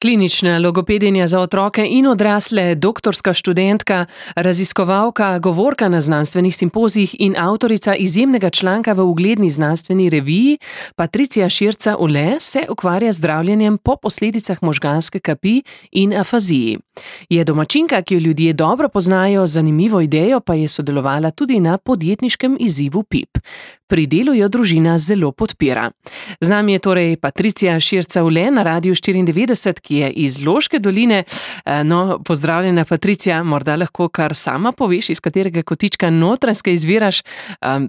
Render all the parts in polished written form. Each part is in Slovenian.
Klinična logopedinja za otroke in odrasle, doktorska študentka, raziskovalka, govorka na znanstvenih simpozijih in avtorica izjemnega članka v ugledni znanstveni reviji, Patricia Schierza-Uhle se ukvarja z zdravljenjem po posledicah možganske kapi in afaziji. Je domačinka, ki jo ljudje dobro poznajo, zanimivo idejo pa je sodelovala tudi na podjetniškem izzivu PIP. Pri delu jo družina zelo podpira. Z nami je torej Patricia Schierza-Uhle na Radiu 94, ki je iz Loške doline. No, pozdravljena Patricia, morda lahko kar sama poveš, iz katerega kotička Notranjske izviraš,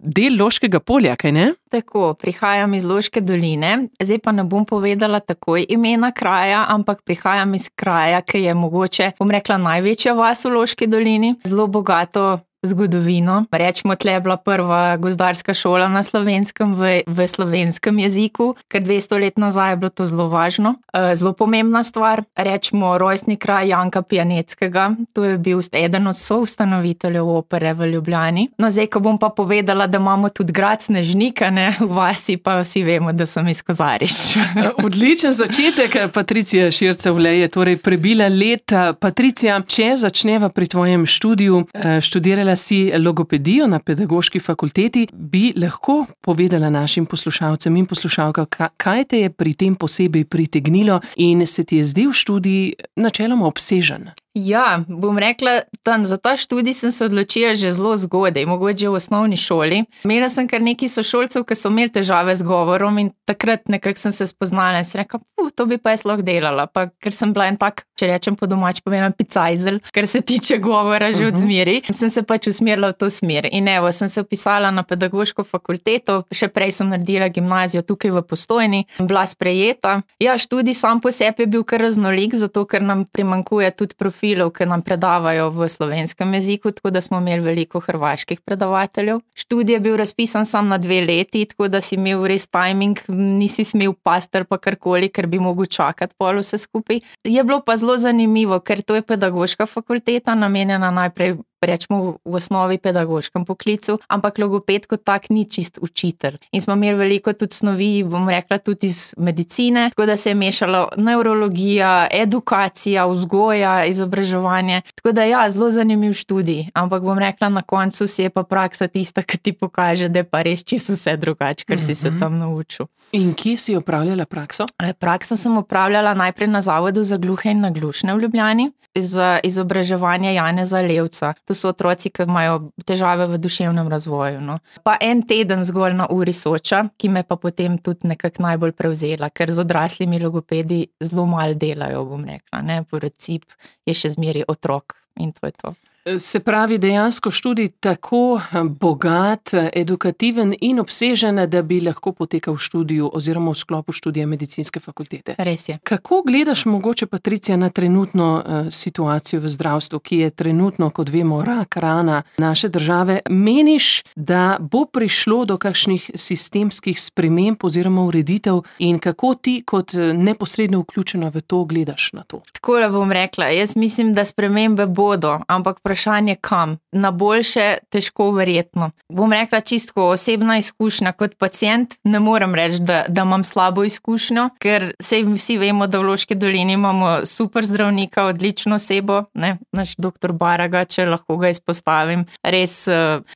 del Loškega polja, kaj ne? Tako, prihajam iz Loške doline, zdaj pa ne bom povedala takoj imena kraja, ampak prihajam iz kraja, ki je mogoče, bom rekla, največja vas v Loški dolini, zelo bogato zgodovino. Rečemo, tle je bila prva gozdarska šola na Slovenskem v slovenskem jeziku, ker 200 let nazaj je bilo to zelo važno. Zelo pomembna stvar, rečemo rojstni kraj Janka Pijaneckega, to je bil eden od soustanoviteljev opere v Ljubljani. No, zdaj, ko bom pa povedala, da imamo tudi grad Snežnik, ne, v vasi, pa vsi vemo, da sem iz Kozarišča. Odličen začetek, Patricia Schierza-Uhle je torej prebila leta. Patricia, če začneva pri tvojem študiju, študirala si logopedijo na pedagoški fakulteti, bi lahko povedala našim poslušalcem in poslušalkam, kaj te je pri tem posebej pritegnilo in se ti je zdel študij načeloma obsežen? Ja, bom rekla, za ta študij sem se odločila že zelo zgodaj, mogoče v osnovni šoli. Imela sem kar nekaj sošolcev, ki so imeli težave z govorom in takrat nekako sem se spoznala in sem rekla, to bi pa jaz lahko delala, pa ker sem bila en tak, če rečem po domač povedano, picajzel, kar se tiče govora že od zmeri, sem se pač usmerila v to smer. In evo, sem se vpisala na pedagoško fakulteto, še prej sem naredila gimnazijo tukaj v Postojni, bila sprejeta. Ja, študij sam po sebi je bil kar raznolik, zato ker nam primanjkuje tudi profilov, ki nam predavajo v slovenskem jeziku, tako da smo imeli veliko hrvaških predavateljev. Študij je bil razpisan sam na 2 leti, tako da si imel res timing, nisi smel pastar pa karkoli, ker bi mogel čakati pol vse skupaj. Je bilo pa zelo zanimivo, ker to je pedagoška fakulteta, namenjena najprej rečemo v osnovi pedagoškem poklicu, ampak logoped kot tak ni čist učitelj. In smo imeli veliko tudi snovi, bom rekla, tudi iz medicine, tako da se je mešalo nevrologija, edukacija, vzgoja, izobraževanje. Tako da ja, zelo zanimiv študij, ampak bom rekla, na koncu si je pa praksa tista, ki ti pokaže, da je pa res čisto vse drugače, kar si se tam naučil. In kje si opravljala prakso? Prakso sem opravljala najprej na Zavodu za gluhe in naglušne v Ljubljani, za izobraževanje Janeza Levca. To so otroci, ki imajo težave v duševnem razvoju. No. Pa en teden zgolj na uri Soča, ki me pa potem tudi nekako najbolj prevzela, ker z odraslimi logopedi zelo malo delajo, bom rekla. Ne. Princip je še zmeri otrok in to je to. Se pravi, dejansko študij tako bogat, edukativen in obsežen, da bi lahko potekal v študiju oziroma v sklopu študija medicinske fakultete. Res je. Kako gledaš mogoče, Patricia, na trenutno situacijo v zdravstvu, ki je trenutno, kot vemo, rak rana naše države? Meniš, da bo prišlo do kakšnih sistemskih sprememb oziroma ureditev in kako ti kot neposredno vključena v to gledaš na to? Takole bom rekla, jaz mislim, da spremembe bodo, ampak vprašanje kam. Na boljše težko verjetno. Bom rekla čisto osebna izkušnja kot pacient, ne morem reči, da imam slabo izkušnjo, ker vsi vemo, da v Loški dolini imamo super zdravnika, odlično osebo, ne, naš doktor Baraga, če lahko ga izpostavim. Res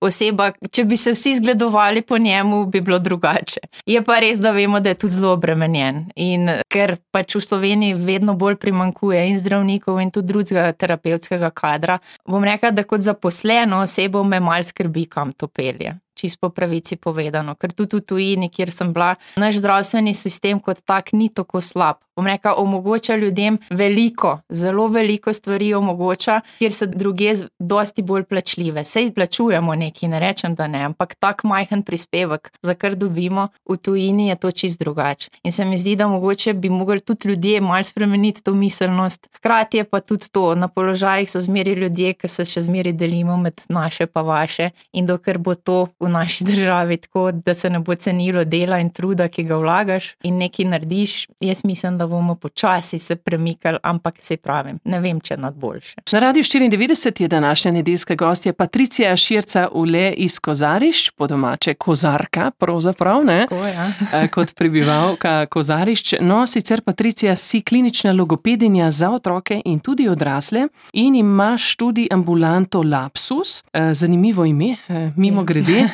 oseba, če bi se vsi zgledovali po njemu, bi bilo drugače. Je pa res, da vemo, da je tudi zelo obremenjen in ker pač v Sloveniji vedno bolj primanjkuje in zdravnikov in tudi drugega terapevtskega kadra, bom rekla, da kot zaposleno osebo me malo skrbi, kam to pelje. Čisto po pravici povedano, ker tudi v tujini, kjer sem bila, naš zdravstveni sistem kot tak ni tako slab. Bom rekla, omogoča ljudem veliko, zelo veliko stvari omogoča, kjer so druge dosti bolj plačljive. Sej plačujemo nekaj, ne rečem, da ne, ampak tak majhen prispevek, za kar dobimo v tujini, je to čisto drugače. In se mi zdi, da mogoče bi mogli tudi ljudje malo spremeniti to miselnost. Hkrati je pa tudi to, na položajih so zmeri ljudje, ki se še zmeri delimo med naše pa vaše in dokler bo to v naši državi tako, da se ne bo cenilo dela in truda, ki ga vlagaš in nekaj narediš. Jaz mislim, da bomo počasi se premikali, ampak se pravim, ne vem, če nad boljše. Na Radiu 94 je današnja nedeljska gostja Patricija Širca-Ule iz Kozarišč, po domače Kozarka, pravzaprav, ne? Tako, ja. Kot prebivalka Kozarišč. No, sicer Patricija si klinična logopedinja za otroke in tudi odrasle in imaš tudi ambulanto Lapsus, zanimivo ime, mimo grede.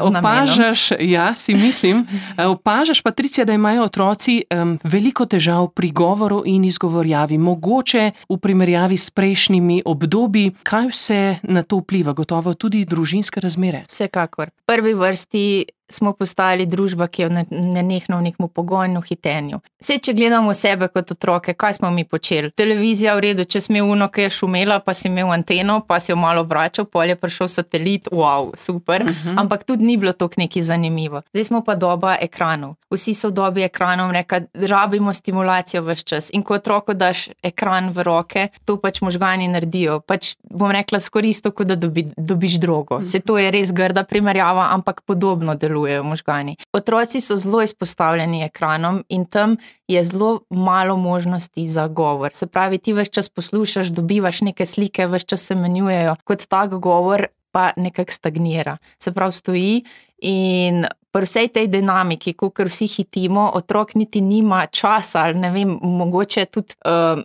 Opažaš, ja, si mislim, opažaš, Patricija, da imajo otroci veliko težav pri govoru in izgovorjavi, mogoče v primerjavi s prejšnjimi obdobji. Kaj vse na to vpliva? Gotovo tudi družinske razmere. Vsekakor. V prvi vrsti smo postali družba, ki je nenehno v nekem pogojnu hitenju. Sej, če gledamo sebe kot otroke, kaj smo mi počeli? Televizija v redu, če smo imeli ki je šumela, pa si imel anteno, pa si jo malo obračal, pol je prišel satelit, wow, super, ampak tudi ni bilo toliko nekaj zanimivo. Zdaj smo pa doba ekranov. Vsi so v dobi ekranov, rabimo stimulacijo ves čas in ko otroku daš ekran v roke, to pač možgani naredijo. Pač bom rekla skoraj isto, kot da dobiš drogo. Sej to je res grda primerjava, ampak podobno delujejo možgani. Otroci so zelo izpostavljeni ekranom in tam je zelo malo možnosti za govor. Se pravi, ti ves čas poslušaš, dobivaš neke slike, ves čas se menjujejo, kot tak govor pa nekako stagnira. Se pravi, stoji in pri vsej tej dinamiki, kakor vsi hitimo, otrok niti nima časa ali ne vem, mogoče tudi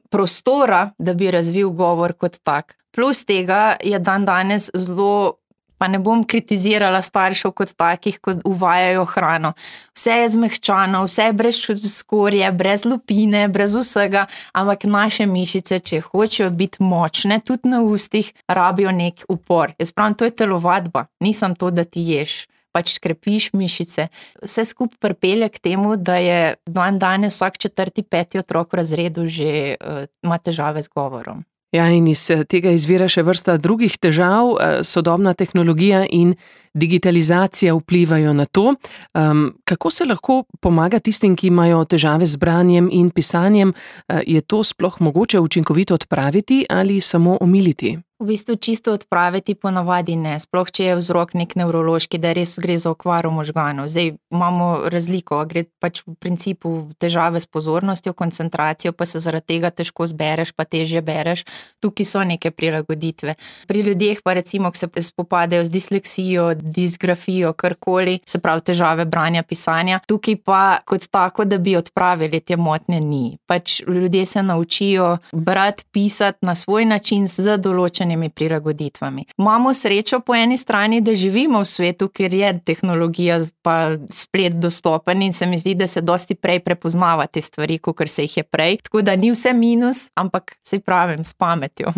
prostora, da bi razvil govor kot tak. Plus tega je danes zelo, pa ne bom kritizirala staršev kot takih, ko uvajajo hrano. Vse je zmehčano, vse je brez skorje, brez lupine, brez vsega, ampak naše mišice, če hočejo biti močne, tudi na ustih, rabijo nek upor. Jaz pravim, to je telovadba, nisem to, da ti ješ. Pač krepiš mišice. Vse skupaj pripelje k temu, da je danes vsak 4., 5. otrok v razredu že ima težave z govorom. Ja, in iz tega izvira še vrsta drugih težav, sodobna tehnologija in digitalizacija vplivajo na to. Kako se lahko pomaga tistim, ki imajo težave z branjem in pisanjem? Je to sploh mogoče učinkovito odpraviti ali samo omiliti? V bistvu čisto odpraviti ponavadi ne, sploh če je vzrok nek nevrološki, da res gre za okvaro možganov. Zdaj imamo razliko, gre pač v principu težave s pozornostjo, koncentracijo, pa se zaradi tega težko zbereš, pa težje bereš. Tukaj so neke prilagoditve. Pri ljudeh pa recimo, ki se spopadajo z disleksijo, disgrafijo, karkoli, se pravi težave branja, pisanja, tukaj pa kot tako, da bi odpravili te motnje, ni. Pač ljudje se naučijo brati, pisati na svoj način z določenimi prilagoditvami. Imamo srečo po eni strani, da živimo v svetu, kjer je tehnologija pa splet dostopen in se mi zdi, da se dosti prej prepoznava te stvari, kakor se jih je prej. Tako da ni vse minus, ampak se pravim, s pametjo.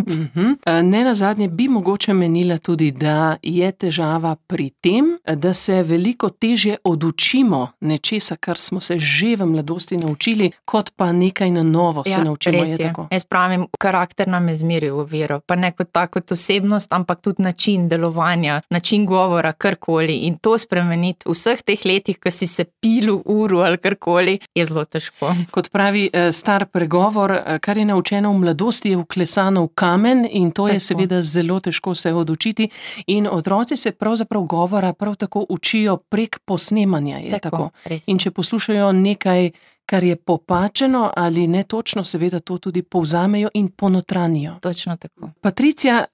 Nenazadnje bi mogoče menila tudi, da je težava pri tem, da se veliko težje odučimo nečesa, kar smo se že v mladosti naučili, kot pa nekaj na novo se naučimo. Res je. Tako. Jaz pravim, karakter nam je zmeril oviro, pa ne kot osebnost, ampak tudi način delovanja, način govora, karkoli. In to spremeniti v vseh teh letih, ko si se pil v uru ali karkoli, je zelo težko. Kot pravi star pregovor, kar je naučeno v mladosti, je vklesano v kamen in to je seveda zelo težko se odučiti. In otroci se pravzaprav govora prav tako učijo prek posnemanja. Je tako. In če poslušajo nekaj, kar je popačeno ali netočno, seveda to tudi povzamejo in ponotranijo. Točno tako. Patricija,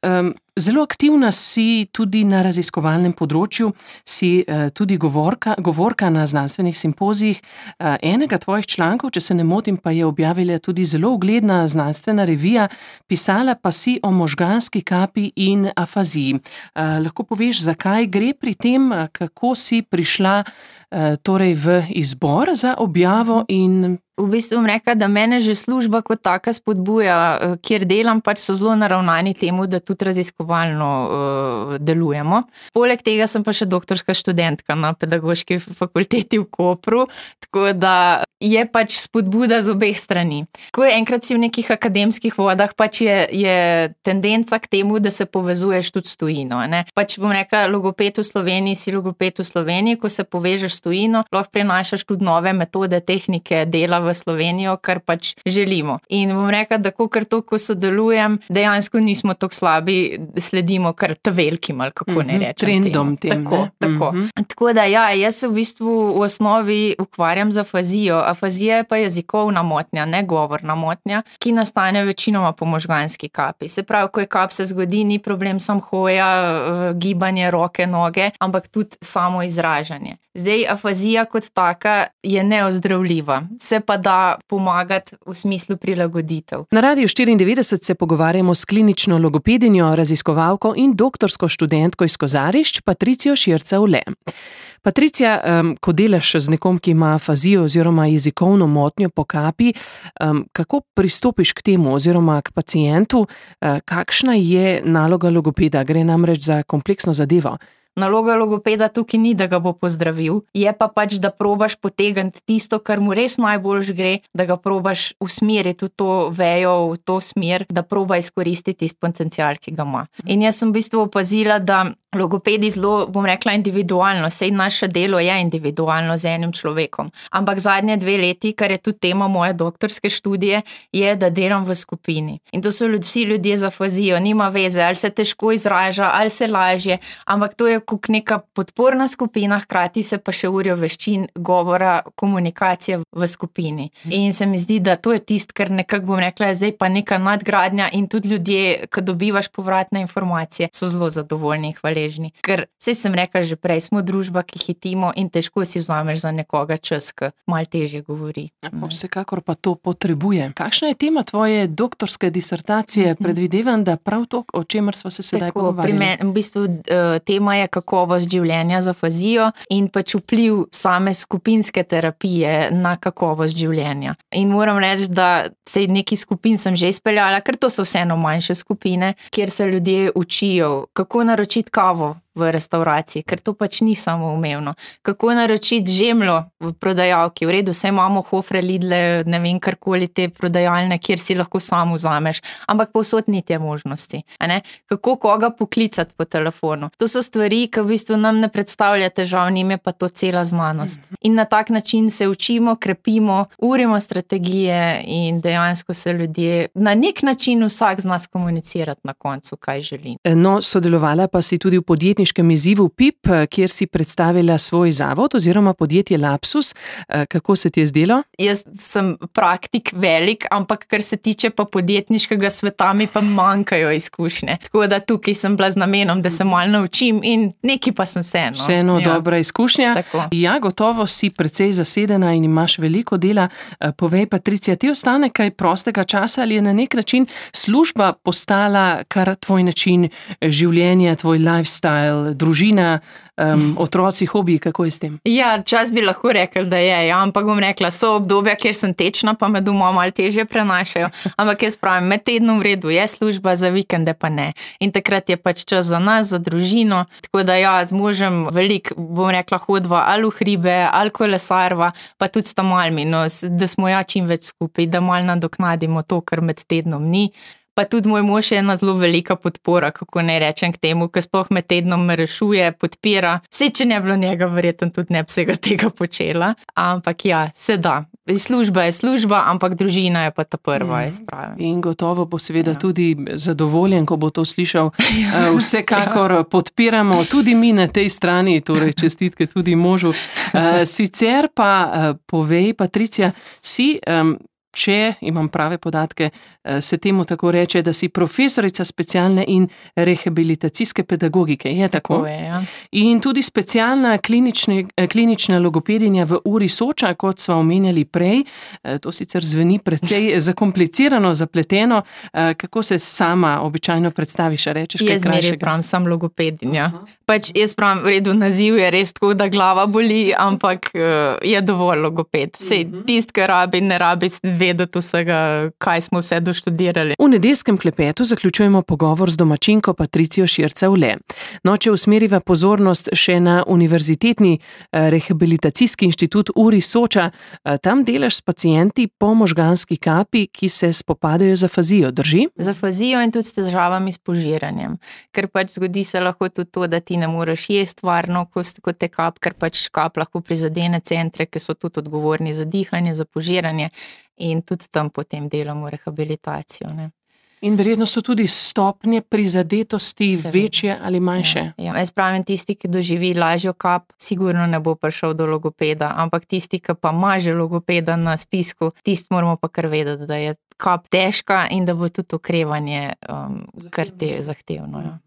zelo aktivna si tudi na raziskovalnem področju, si tudi govorka na znanstvenih simpozijih. Enega tvojih člankov, če se ne motim, pa je objavila tudi zelo ugledna znanstvena revija, pisala pa si o možganski kapi in afaziji. Lahko poveš, zakaj gre pri tem, kako si prišla torej v izbor za objavo in... V bistvu bom rekla, da mene že služba kot taka spodbuja, kjer delam, pač so zelo naravnani temu, da tudi raziskovalno delujemo. Poleg tega sem pa še doktorska študentka na pedagoški fakulteti v Kopru, tako da je pač spodbuda z obeh strani. Ko je enkrat si v nekih akademskih vodah, pač je tendenca k temu, da se povezuješ tudi s tujino. Ne? Pač bom rekla, logoped v Sloveniji si logoped v Sloveniji, ko se povežeš s tujino, lahko prinašaš tudi nove metode, tehnike dela v v Slovenijo, kar pač želimo. In bom rekla, da ko sodelujem, dejansko nismo tako slabi, sledimo kar velikim, ali kako ne rečem. Trendom tem. Tako. Tako da ja, jaz se v bistvu v osnovi ukvarjam z afazijo. Afazija je pa jezikovna motnja, ne govorna motnja, ki nastane večinoma po možganski kapi. Se pravi, ko je kap se zgodi, ni problem sam hoja, gibanje roke, noge, ampak tudi samo izražanje. Zdaj, afazija kot taka je neozdravljiva, se pa da pomagati v smislu prilagoditev. Na Radiu 94 se pogovarjamo s klinično logopedinjo, raziskovalko in doktorsko študentko iz Kozarišč, Patricijo Šircev-Le. Patricija, ko delaš z nekom, ki ima afazijo oziroma jezikovno motnjo po kapi, kako pristopiš k temu oziroma k pacientu, kakšna je naloga logopeda? Gre namreč za kompleksno zadevo. Naloga logopeda tukaj ni, da ga bo pozdravil, je pa pač, da probaš potegniti tisto, kar mu res najboljš gre, da ga probaš usmeriti v to vejo, v to smer, da proba izkoristiti tisti potencial, ki ga ima. In jaz sem v bistvu opazila, da logopedi zelo, bom rekla, individualno, saj naše delo je individualno z enim človekom. Ampak zadnje 2 leti, kar je tudi tema moje doktorske študije, je, da delam v skupini. In to so vsi ljudje z afazijo, nima veze, ali se težko izraža, ali se lažje, ampak to je kot neka podporna skupina, hkrati se pa še urijo veščin govora, komunikacije v skupini. In se mi zdi, da to je tisto, kar nekako, bom rekla, je zdaj pa neka nadgradnja in tudi ljudje, ko dobivaš povratne informacije, so zelo zadovoljni in hvaležni. Ker, saj sem rekla že prej, smo družba, ki hitimo in težko si vzameš za nekoga čas, ki malo težje govori. Vsekakor pa to potrebuje. Kakšna je tema tvoje doktorske disertacije? Predvidevam, da prav to, o čemer sva se sedaj pogovarjali. Pri meni, v bistvu, tema je kakovost življenja z afazijo in pač vpliv same skupinske terapije na kakovost življenja. In moram reči, da sej nekaj skupin sem že izpeljala, ker to so vseeno manjše skupine, kjer se ljudje učijo, kako naročiti kavo v restavraciji, ker to pač ni samoumevno. Kako naročiti žemljo v prodajalki, v redu, saj imamo Hofre, Lidle, ne vem, karkoli te prodajalne, kjer si lahko sam vzameš, ampak povsod ni te možnosti. Kako koga poklicati po telefonu. To so stvari, ki v bistvu nam ne predstavlja težav, njim je pa to cela znanost. In na tak način se učimo, krepimo, urimo strategije in dejansko se ljudje na nek način vsak z nas komunicirati na koncu, kaj želi. No, sodelovala pa si tudi v podjetniškem izzivu PIP, kjer si predstavila svoj zavod oziroma podjetje Lapsus. Kako se ti je zdelo? Jaz sem praktik velik, ampak kar se tiče pa podjetniškega sveta, mi pa manjkajo izkušnje. Tako da tukaj sem bila z namenom, da se malo naučim in nekaj pa sem se. Vseeno dobra izkušnja. Tako. Ja, gotovo si precej zasedena in imaš veliko dela. Povej, Patricija, ti ostane kaj prostega časa ali je na nek način služba postala kar tvoj način življenja, tvoj lifestyle, družina, otroci, hobiji, kako je s tem? Ja, čas bi lahko rekel, da je, ampak bom rekla, so obdobja, kjer sem tečna, pa me doma malo težje prenašajo, ampak jaz pravim, med tednom v redu je služba, za vikende pa ne. In takrat je pač čas za nas, za družino, tako da ja, z možem veliko, bom rekla, hodva ali v hribe, ali kolesarva, pa tudi s tamalmi, no, da smo ja čim več skupaj, da malo nadoknadimo to, kar med tednom ni. Pa tudi moj mož je ena zelo velika podpora, kako ne rečem k temu, ker sploh med tednom me rešuje, podpira. Vse, če ne bilo njega, verjetno tudi ne bi vsega tega počela. Ampak ja, se da. Služba je služba, ampak družina je pa ta prva, jaz pravim. In gotovo bo seveda tudi zadovoljen, ko bo to slišal. Vsekakor podpiramo tudi mi na tej strani, torej čestitke tudi možu. Sicer pa povej, Patricija, si... Če imam prave podatke, se temu tako reče, da si profesorica specialne in rehabilitacijske pedagogike. Je tako? Je, ja. In tudi specialna klinična logopedinja v URI Soča, kot sva omenjali prej. To sicer zveni precej zakomplicirano, zapleteno. Kako se sama običajno predstaviš, rečeš kaj krajšega? Jaz zmeraj pravim, sem logopedinja. Pač jaz pravim, v redu, naziv je res tako, da glava boli, ampak je dovolj logoped. Sej tist, ki rabi, ne rabi 2 vedeti vsega, kaj smo vse doštudirali. V nedeljskem klepetu zaključujemo pogovor z domačinko Patricijo Šircev-Le. No, če usmeriva pozornost še na Univerzitetni rehabilitacijski inštitut URI Soča, tam delaš s pacienti po možganski kapi, ki se spopadajo z afazijo, drži? Z afazijo in tudi s težavami s požiranjem. Ker pač zgodi se lahko tudi to, da ti ne moreš jesti varno, ko te kap, ker pač kap lahko prizadene centre, ki so tudi odgovorni za dihanje, za požiranje in tudi tam potem delamo rehabilitacijo, ne. In verjetno so tudi stopnje prizadetosti večje ali manjše. Ja. Jaz pravim, tisti, ki doživi lažjo kap, sigurno ne bo prišel do logopeda, ampak tisti, ki pa ima že logopeda na spisku, tisti moramo pa kar vedeti, da je kap težka in da bo tudi okrevanje kar zahtevno. Ja.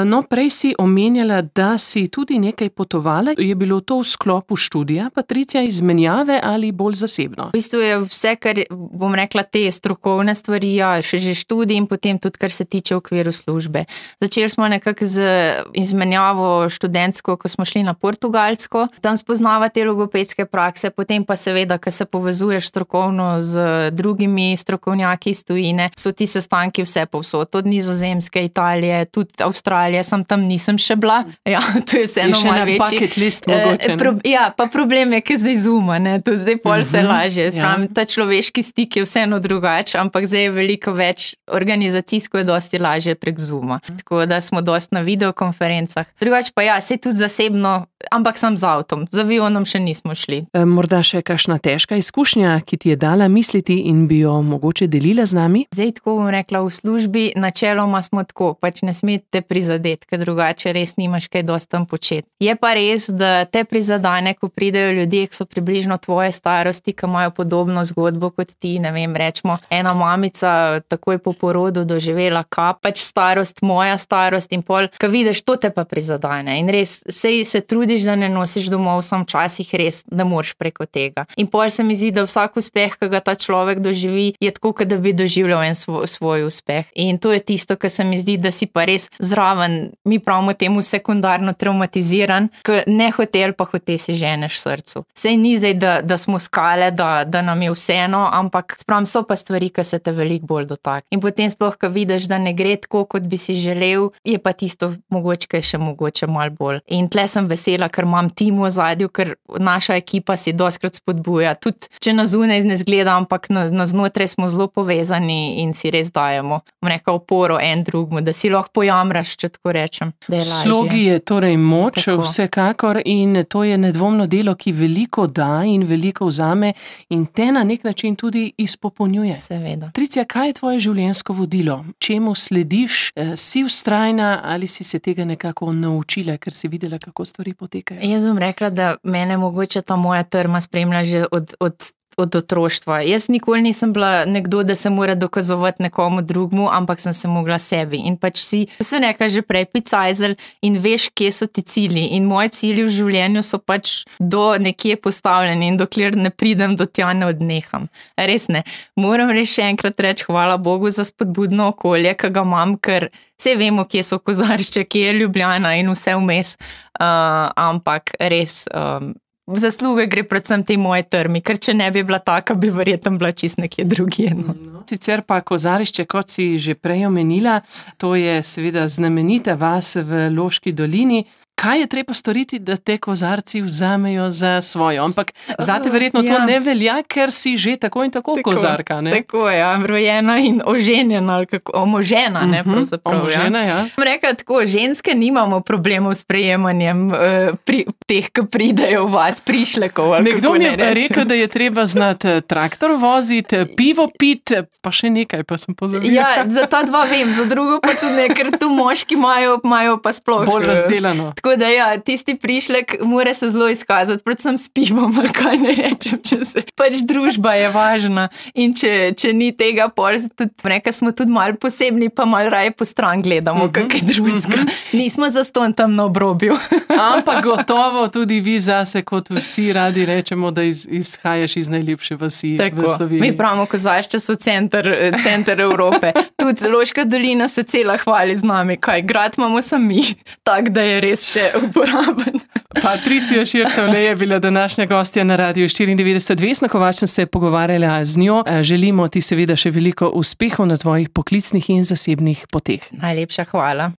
No, prej si omenjala, da si tudi nekaj potovala. Je bilo to v sklopu študija, Patricija, izmenjave ali bolj zasebno? V bistvu je vse, kar bom rekla, te strokovne stvari, ja, še že študij in potem tudi, kar se tiče v okviru službe. Začeli smo nekako z izmenjavo študentsko, ko smo šli na Portugalsko, tam spoznava te logopedske prakse, potem pa seveda, ko se povezuješ strokovno z drugimi strokovnjaki iz tujine, so ti sestanki vse povsod, od Nizozemske, Italije, tudi Avstralije, sam tam nisem še bila. Ja, to je vseeno malo večji. Je še na bucket list mogoče. Ja, pa problem je, ker zdaj Zooma, ne, to zdaj pol se lažje. Pravim, ta človeški stik je vseeno drugač, ampak zdaj je veliko več, organizacijsko je dosti lažje prek Zooma. Tako da smo dosti na videokonferencah. Drugač pa ja, saj tudi zasebno, ampak sam z avtom. Z avionom še nismo šli. Morda še kakšna težka izkušnja, ki ti je dala misliti in bi jo mogoče delila z nami? Zdaj tako bom rekla, v službi načeloma smo tako, pač ne smete prizadeti, ker drugače res nimaš kaj dosti tam početi. Je pa res, da te prizadane, ko pridejo ljudje, ki so približno tvoje starosti, ki imajo podobno zgodbo kot ti, ne vem, rečemo, ena mamica takoj po porodu doživela kap, pač starost, moja starost in pol, ko vidiš, to te pa prizadane in res, sej se trudiš, da ne nosiš domov, sam včasih res ne moreš preko tega. In pol se mi zdi, da vsak uspeh, ki ga ta človek doživi, je tako, kot da bi doživljal en svoj uspeh. In to je tisto, kar se mi zdi, da si pa res zraven, mi pravimo temu sekundarno traumatiziran, ker ne hotel pa hote si ženeš srcu. Sej ni zdaj, da smo skale, da nam je vseeno, ampak spravim, so pa stvari, ki se te veliko bolj dotak. In potem sploh, ko vidiš, da ne gre tako, kot bi si želel, je pa tisto mogoče še mogoče malo bolj. In tle sem vesela, ker imam tim v ozadju, ker naša ekipa si dostikrat spodbuja. Tudi, če na zunaj ne zgleda, ampak na znotraj smo zelo povezani in si res dajemo, neka oporo en drugmu, da si lahko pojamraš, če tako rečem, da je lažje. Slogi je torej moč, tako. Vsekakor, in to je nedvomno delo, ki veliko da in veliko vzame in te na nek način tudi izpopolnjuje. Seveda. Patricija, kaj je tvoje življenjsko vodilo? Čemu slediš? Si vztrajna ali si se tega nekako naučila, ker si videla, kako stvari potekajo? Jaz bom rekla, da mene mogoče ta moja trma spremlja že od otroštva. Jaz nikoli nisem bila nekdo, da se mora dokazovati nekomu drugmu, ampak sem se mogla sebi. In pač si se nekaj že prej picajzel in veš, kje so ti cilji. In moji cilji v življenju so pač do nekje postavljeni in dokler ne pridem do tja, ne odneham. Res ne. Moram res še enkrat reči hvala Bogu za spodbudno okolje, ki ga imam, ker vse vemo, kje so Kozaršče, kje je Ljubljana in vse vmes. Ampak res zasluge gre predvsem tej moje trmi, ker če ne bi bila taka, bi verjetno bila čist nekje drugje. No. Sicer pa Kozarišče, kot si že prej omenila, to je seveda znamenita vas v Loški dolini. Kaj je treba storiti, da te kozarci vzamejo za svojo? Ampak zate verjetno to ne velja, ker si že tako in tako kozarka, ne? Tako, ja, rojena in oženjena, ali kako, omožena, ne, pravzaprav. Omožena, ja. Rekla tako, ženske nimamo problemov s prejemanjem teh, ki pridejo v vas, prišlekov, ali nekdo kako ne rečem. Nekdo mi je rekel, da je treba znati traktor voziti, pivo piti, pa še nekaj, pa sem pozabila. Ja, za ta dva vem, za drugo pa tudi ne, ker tu moški imajo pa sploh bolj razdelano. Tako da ja, tisti prišlek mora se zelo izkazati, predvsem s pivom, ali kaj ne rečem, pač družba je važna in če ni tega, pol smo tudi malo posebni, pa malo raje po stran gledamo, kakaj drugega. Nismo zastonj tam na obrobju. Ampak gotovo tudi vi zase, kot vsi radi rečemo, da izhajaš iz najlepše vasi v Sloveniji. Mi pravimo, Kozaršče so center Evrope. tudi Loška dolina se cela hvali z nami, kaj grad imamo sami, tak, da je res še uporaben. Patricija Šircevle je bila današnja gostja na Radiu 94. Vesna Kovač sem se pogovarjala z njo. Želimo ti seveda še veliko uspehov na tvojih poklicnih in zasebnih poteh. Najlepša hvala.